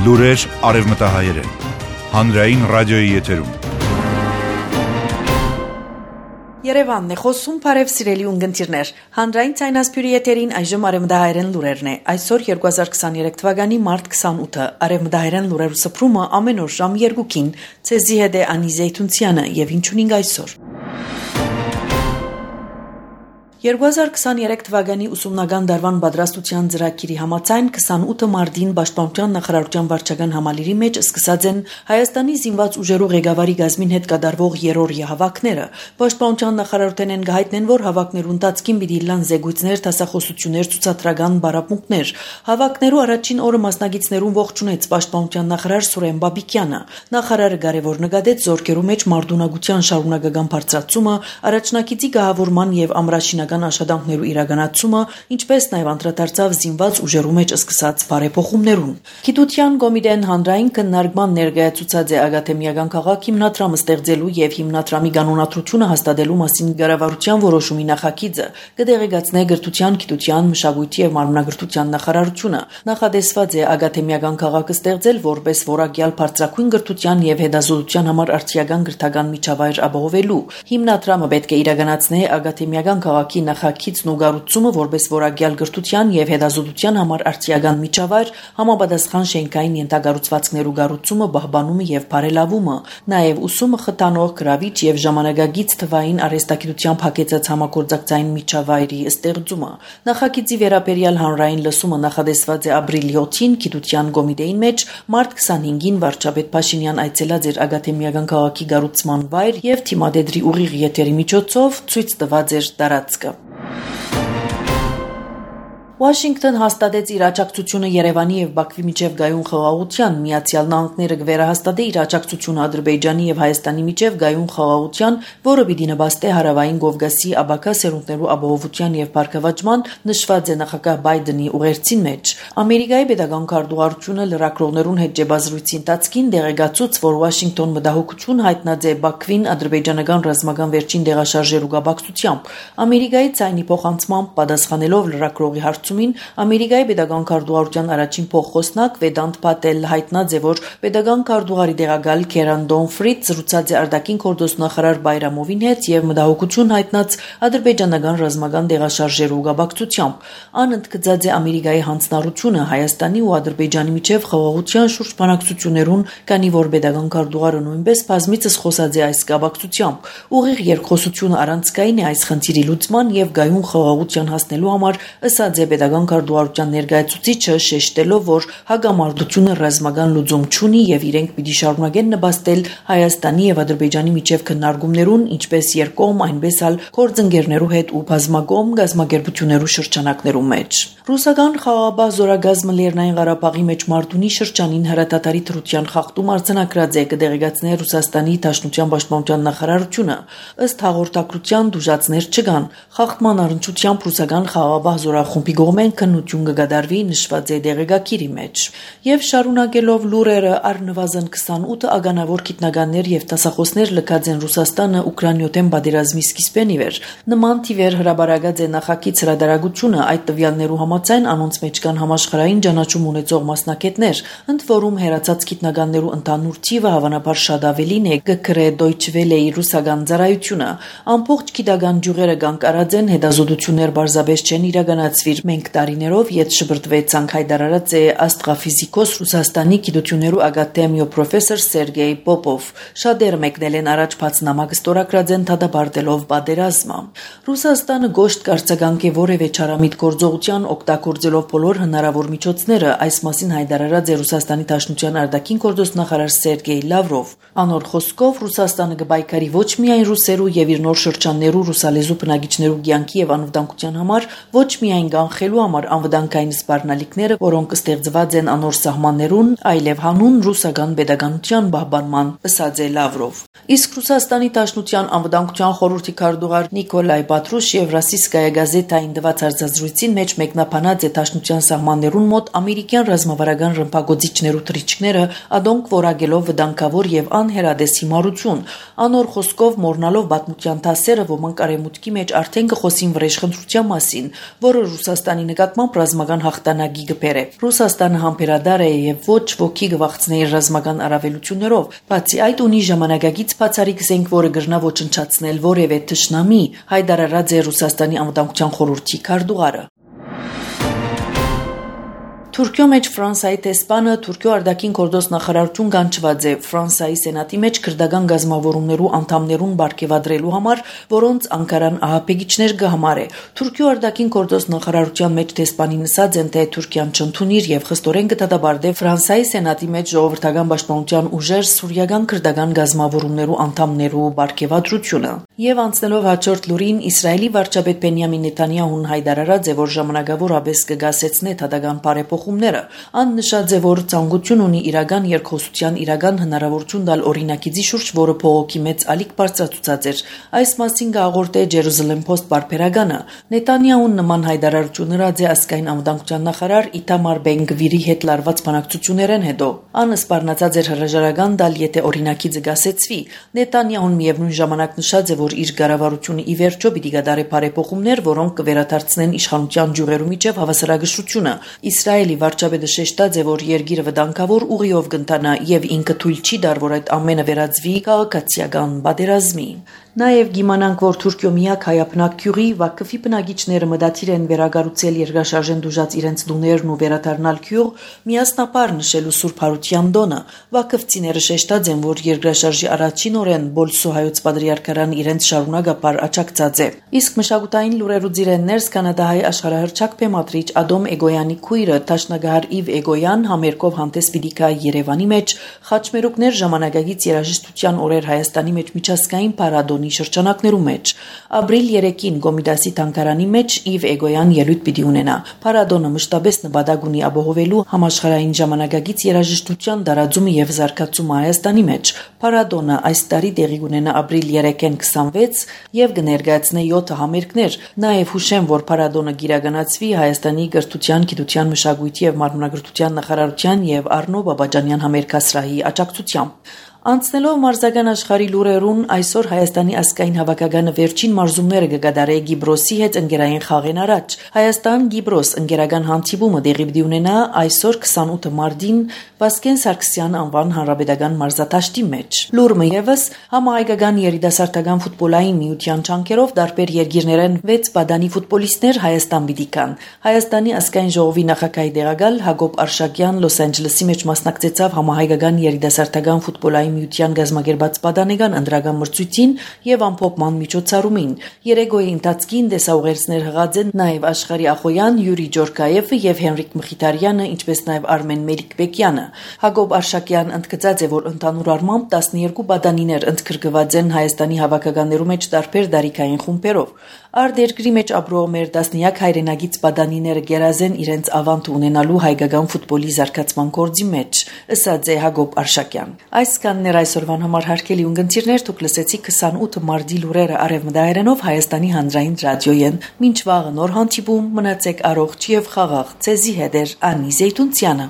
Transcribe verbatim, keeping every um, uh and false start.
Լուրեր արևմտահայերեն, հանրային ռադիոյի եթերում։ Երևանն է խոսում, բարև սիրելի ունգընտիրներ, հանրային ցայնասպյուրի եթերին այժմ արևմտահայերեն լուրերն է, այսօր երկու հազար քսաներեք թվականի մարտ քսանութը, արևմտահայերեն լուրերու սփռումը ամեն օր ժամ երկուքին, ցեզի հետ է Անի Զեյթունցյանը եւ ինչունինգ այսօր։ երկու հազար քսաներեք թվականի ուսումնական դարվան պատրաստության ծրագիրի համաձայն քսանութը մարտին Պաշտպանության նախարարության վարչական համալիրի մեջ սկսած են Հայաստանի զինված ուժերու ղեկավարի գազմին հետ կատարվող երրորդյա հավաքները։ Պաշտպանության նախարարութեն են գահիտնեն, որ հավաքներու ընթացքին պիտի լան զեկույցներ, դասախոսություններ, ցուցադրական բարապմունքներ։ Հավաքներու առաջին օրը մասնագետներուն ողջունեց Պաշտպանության նախարար Սուրեն Բաբիկյանը։ Նախարարը կարևոր նկատեց զորքերու մեջ մարտունակության շարունակական բարձրացումը, առաջնակիցի գահավորման եւ ամրաշինական աշխատանքներու իրականացումը, ինչպես նաև անդրադարձավ զինված ուժերու մեջ սկսած բարեփոխումներուն։ Գիտության կոմիտեն հանրային քննարկման ներկայացուցած է ակադեմիական քաղաք հիմնադրամը ստեղծելու եւ հիմնադրամի կանոնադրությունը հաստատելու մասին կառավարության որոշումի նախագիծը կդեղեկացնե գրթության, գիտության, մշակույթի եւ մարմնագրթության նախարարությունը։ Նախադեсված է ակադեմիական քաղաքը ստեղծել որպես որակյալ բարձրակույն գրթության եւ հետազոտության համար արդիական գրթական միջավայր ապահովելու։ Հիմնադրամը պետք է իրականացնե ակադեմիական քաղաքի նախագիծն ու կառուցումը որպես որակյալ գրթության եւ հետազոտության համար արդիական միջավայր, համապատասխան շենքային ենթակառուցվածքներու կառուցումը, պահպանումը եւ բարելավումը, նաեւ ուսումը խթանող, գրավիչ եւ ժամանակակից թվային արհեստագիտությամբ հագեցած համագործակցային միջավայրի ստեղծումը։ Նախագիծի վերաբերյալ հանրային լսումը նախադեсված է ապրիլի յոթին գիտության կոմիտեին մեջ, մարտ քսանհինգին վարչապետ Փաշինյան այցելած էր ակադեմիական քաղաքի կառուցման վայր եւ թիմադեդրի ուղիղ եթերի միջոցով ցույց տված էր տարածքը։ Վաշինգտոն հաստատեց իր աջակցությունը Երևանի եւ Բաքվի միջև գայուն խաղաղության, Միացյալ Նահանգները կվերահաստատի իր աջակցությունը Ադրբեջանի եւ Հայաստանի միջև գայուն խաղաղության, որը պիտի նպաստի հարավային Կովկասի աբակա սերունդներու ապահովության եւ բարգավաճման, նշված է նախագահ Բայդենի ուղերձին մեջ։ Ամերիկայի պետական քարտուղարությունը լրագրողներուն հետ ջեբազրույցի ընթացքին դեղեկացուց, որ Վաշինգտոն մտահոգություն հայտնած է Բաքվին ադրբեջանական ռազմական վերջին դեղաշարժերու կապակցությամբ։ Ամերիկայի ցայնի փոխանցմամբ պատասխանելով լրագրողի հարցին Ամերիկայի պետական քարտուղարության առաջին փոխխոսնակ Վեդանտ Փատելը հայտնած է, որ պետական քարտուղարի տեղակալ Քերան Դոնֆրիդ զրուցած է արտաքին գործոստ նախարար Բայրամովին հետ եւ մտահոգություն հայտնած ադրբեջանական ռազմական դեղաշարժերու կապակցությամբ։ Ան ընդգծած է Ամերիկայի հանձնառությունը Հայաստանի ու Ադրբեջանի միջև խաղաղության շուրջ բանակցություններուն, քանի որ պետական քարտուղարը նույնպես բազմիցս խոսած է այս կապակցությամբ։ Ուղիղ երկխոսությունը առանցքային է այս խնդիրի լուծման եւ գայուն խաղաղության հասնելու համար, ըսած է պետական քարտուղարության ներկայացուցիչը, շեշտելով, որ հակամարտությունը ռազմական լուծում չունի եւ իրենք պիտի շարունակեն նպաստել Հայաստանի եւ Ադրբեջանի միջև քննարկումներուն, ինչպես երկկողմ, այնպես էլ գործընկերներու հետ ու բազմակողմ գազམ་ակերպություններու շրջանակներու մեջ։ Ռուսական խաղաղապահ զորագազմը Լեռնային Ղարաբաղի մեջ Մարտունի շրջանին հրատատարի թրության խախտում արձանագրած է, կդեղեկացնի Ռուսաստանի Դաշնության պաշտպանության նախարարությունը։ Ըստ հաղորդակցության դժուժացներ չկան։ Խախտման առնչությամբ ռուսական խաղաղապահ զորախումբի կողմեն քննություն կգադարվի, նշված է դեղեկագիրի մեջ։ Եվ շարունակելով լուրերը, առնվազն քսանութ ականավոր գիտնականներ եւ դասախոսներ լքած են Ռուսաստանը Ուկրաինայոթեն պատերազմի սկիզբեն ի վեր։ Նման թիվեր հրաբարակած է նախագիծ հրադարագությունը, այդ տվյալներու համաձայն անոնց մեջ կան համաշխարհային ճանաչում ունեցող մասնակիցներ, ընդ որում հերացած գիտնականներու ընդհանուր թիվը հավանաբար շատ ավելին է, գկրե Deutsche Welle-ի ռուսական ծառայությունը։ Ամբողջ գիտական ջուղերը կանգարած են, հետազոտություններ բարձաբես չեն իրականացվիր։ Մենք տարիներով ետ շբրտվեցանք, հայտարարած է աստղաֆիզիկոս Ռուսաստանի գիտություններու ակադեմիո պրոֆեսոր Սերգեյ Պոպով։ Շատերը մեկնել են առաջ բաց նամակ ստորագրած են դատապարտելով պատերազմը։ Ռուսաստանը գոշտ կարծականք է որևէ չարամիտ գործողության օգտագործելով բոլոր հնարավոր միջոցները, այս մասին հայտարարած է Ռուսաստանի Դաշնության արտաքին գործոստ նախարար Սերգեյ Լավրով։ Անոր խոսքով Ռուսաստանը կբայկարի ոչ միայն ռուսերու եւ իր նոր շրջաններու ռուսալեզու բնակիչներու կյանքի եւ անվտանգության համար, ոչ միայն կանխելու համար անվտանգային սպառնալիքները, որոնք ստեղծված են անոր սահմաններուն, այլև հանուն ռուսական pedagogian պահպանման, ըսած է Լավրով։ Իսկ Ռուսաստանի Դաշնության անվտանգության խորհրդի քարտուղար Նիկոլայ Պատրուշև Ռասիսկայա գազետային տված արձազրույցին մեջ մեկնաբանած է Դաշնության սահմաններուն մոտ ամերիկյան ռազմավարական ռմբակոծիչներու թռիչքները, ադոնք որակելով վտանգավոր եւ անհերադես հիմարություն։ Անոր խոսքով մորնալով պատմության դասերը ոմանք արեմուտքի մեջ արդեն կխոսին վրեժխնդրության մասին, որը Ռուսաստանի Ռուսաստանի նկատմամբ ռազմական հաղթանակի գբեր է։ Ռուսաստանը համբերադար է եւ ոչ ոքի գվախցնի իր ռազմական առավելություններով, բացի այդ ունի ժամանակագից բացառիկ զենք, որը գրնա ոչնչացնել որևէ թշնամի, հայտարարած է Ռուսաստանի անվտանգության խորհրդի քարտուղարը։ Թուրքիո մեջ Ֆրանսիայի տեսփանը Թուրքիո արտաքին գործոս նախարարություն կանչված է Ֆրանսիայի սենատի մեջ քրդական գազམ-ավորումներու անդամներուն բարգեւադրելու համար, որոնց Անկարան ահապեգիչներ կհամարե։ Թուրքիո արտաքին գործոս նախարարության մեջ տեսփանին ասած են, թե Թուրքիան չընդունիր եւ խստորեն կդատաբարտե Ֆրանսիայի սենատի մեջ ժողովրդական պաշտպանության ուժեր սուրիական քրդական գազམ-ավորումներու անդամներու բարգեւադրությունը։ Եվ անցնելով հաջորդ լուրին, Իսրայելի վարչապետ Բենյամին Նեթանյահուն հայտարարած է, որ ժամանակավոր աբես կգասեցնե թադական բարեփոխումները։ Ան նշած է, որ ցանկություն ունի իրական երկխոսության իրական հնարավորություն տալ օրինակիցի շուրջ, որը փողոքի մեծ ալիք բարձրացուցած էր։ Այս մասին գաղորդե Jerusalem Post բարբերականը։ Նեթանյահուն նման հայտարարություն հրած է ասկային անվտանգության նախարար Իտամար Բեն-Գվիրի հետ լարված բանակցություններեն հետո։ Ան սպառնացած էր հրաժարական տալ, եթե օրինակիցը գասեցվի։ Նեթանյահուն միևնույն ժամանակ նշած է, որ իր կառավարությունը ի վերջո պիտի գդարի բարեփոխումներ, որոնք կվերադարձնեն իշխանության ջուրերու միջև հավասարակշռությունը։ Իսրայելի վարչապետը շեշտած է, որ երկիրը վտանգավոր ուղիով կընթանա եւ ինքը թույլ չի տար, որ այդ ամենը վերածվի քաղաքացիական պատերազմի։ Նաև գիմանանք, որ Թուրքիո միակ հայապնակ գյուղի Վակֆի բնակիչները մտադիր են վերագառուցել երկրաշարժեն դուժած իրենց տուներն ու վերադառնալ գյուղ, միասնապար նշելու Սուրբ Հարության տոնը։ Վակֆցիները շեշտած են, որ երկրաշարժի առաջին օրեն Բոլսո հայոց պատրիարքարան իրենց շարունակապար աջակցած է։ Իսկ մշակութային լուրերու ձիրեններս կանադահայ աշխարհահռչակ բեմադրիչ Ադոմ Էգոյանի քույրը Տաշնագահար Իվ Էգոյան համերգով հանդես պիտի գա Երևանի մեջ, խաչմերուկներ ժամանակագից երաժշտության օրեր Հայաստանի մեջ միջազգային փառատոնի շրջանակներու մեջ։ Ապրիլ երեքին Գոմիդասի թանգարանի մեջ Իվ Էգոյան ելույթ պիտի ունենա։ Փառատոնը մշտապես նպատակ ունի ապահովելու համաշխարհային ժամանակագից երաժշտության տարածումը եւ զարգացումը Հայաստանի մեջ։ Փառատոնը այս տարի տեղի կունենա ապրիլ երեքին քսանվեց եւ կներկայացնե յոթ համերգներ։ Նաեւ հուշեմ, որ փառատոնը գիրականացվի Հայաստանի կրթության, գիտության, մշակույթի եւ մարմնագրթության նախարարության եւ Արնո Բաբաջանյան համերգասրահի աջակցությամբ։ Անցնելով մարզական աշխարհի լուրերուն, այսօր Հայաստանի ազգային հավաքականը վերջին մարզումները կգադարե Գիբրոսի հետ ընկերային խաղեն առաջ։ Հայաստան-Գիբրոս ընկերական հանդիպումը տեղի պիտի ունենա այսօր քսանութ մարտին Վասկեն Սարգսյան անվան հանրապետական մարզադաշտի մեջ։ Լուրը եւս համահայկական երիտասարդական ֆուտբոլային միության չանքերով տարբեր երկիրներեն վեց բադանի ֆուտբոլիստներ Հայաստան պիտի կան։ Հայաստանի ազգային ժողովի նախագահի տեղակալ Հակոբ Արշակյան Լոս Անջելեսի մեջ մասնակցեցավ համահայկական երիտասարդական ֆուտբոլային միության գազམ-ակերպած պատանեկան ընդրական մրցույթին եւ ամփոփման միջոցառումին։ Երեգոյի ընթացքին դեսաուղերձներ հղած են նաեւ Աշխարհի Ախոյան, Յուրի Ջորկաևը եւ Հենրիկ Մխիթարյանը, ինչպես նաեւ Արմեն Մելիքբեկյանը։ Հակոբ Արշակյան ընդգծած է, որ ընդհանուր առմամբ տասներկու պատանիներ ընդգրկված են Հայաստանի հավաքականներու մեջ տարբեր դարիքային խումբերով։ Արտերկրի մեջ ապրող մեր տասնյակ հայրենագից պատանիները գերազեն իրենց ավանդ ունենալու հայկական ֆուտբոլի զարգացման գործի մեջ, ըսած է Հակոբ Արշակյան։ Այսքանն էր այսօրվան համար հարգելի ունգընտիրներ, դուք լսեցիք քսանութ մարտի լուրերը արևմտահայերենով Հայաստանի հանրային ռադիոյեն։ Մինչ վաղը նոր հանդիպում, մնացեք առողջ եւ խաղաղ։ Ցեզի հետ էր Անի Զեյթունցյանը։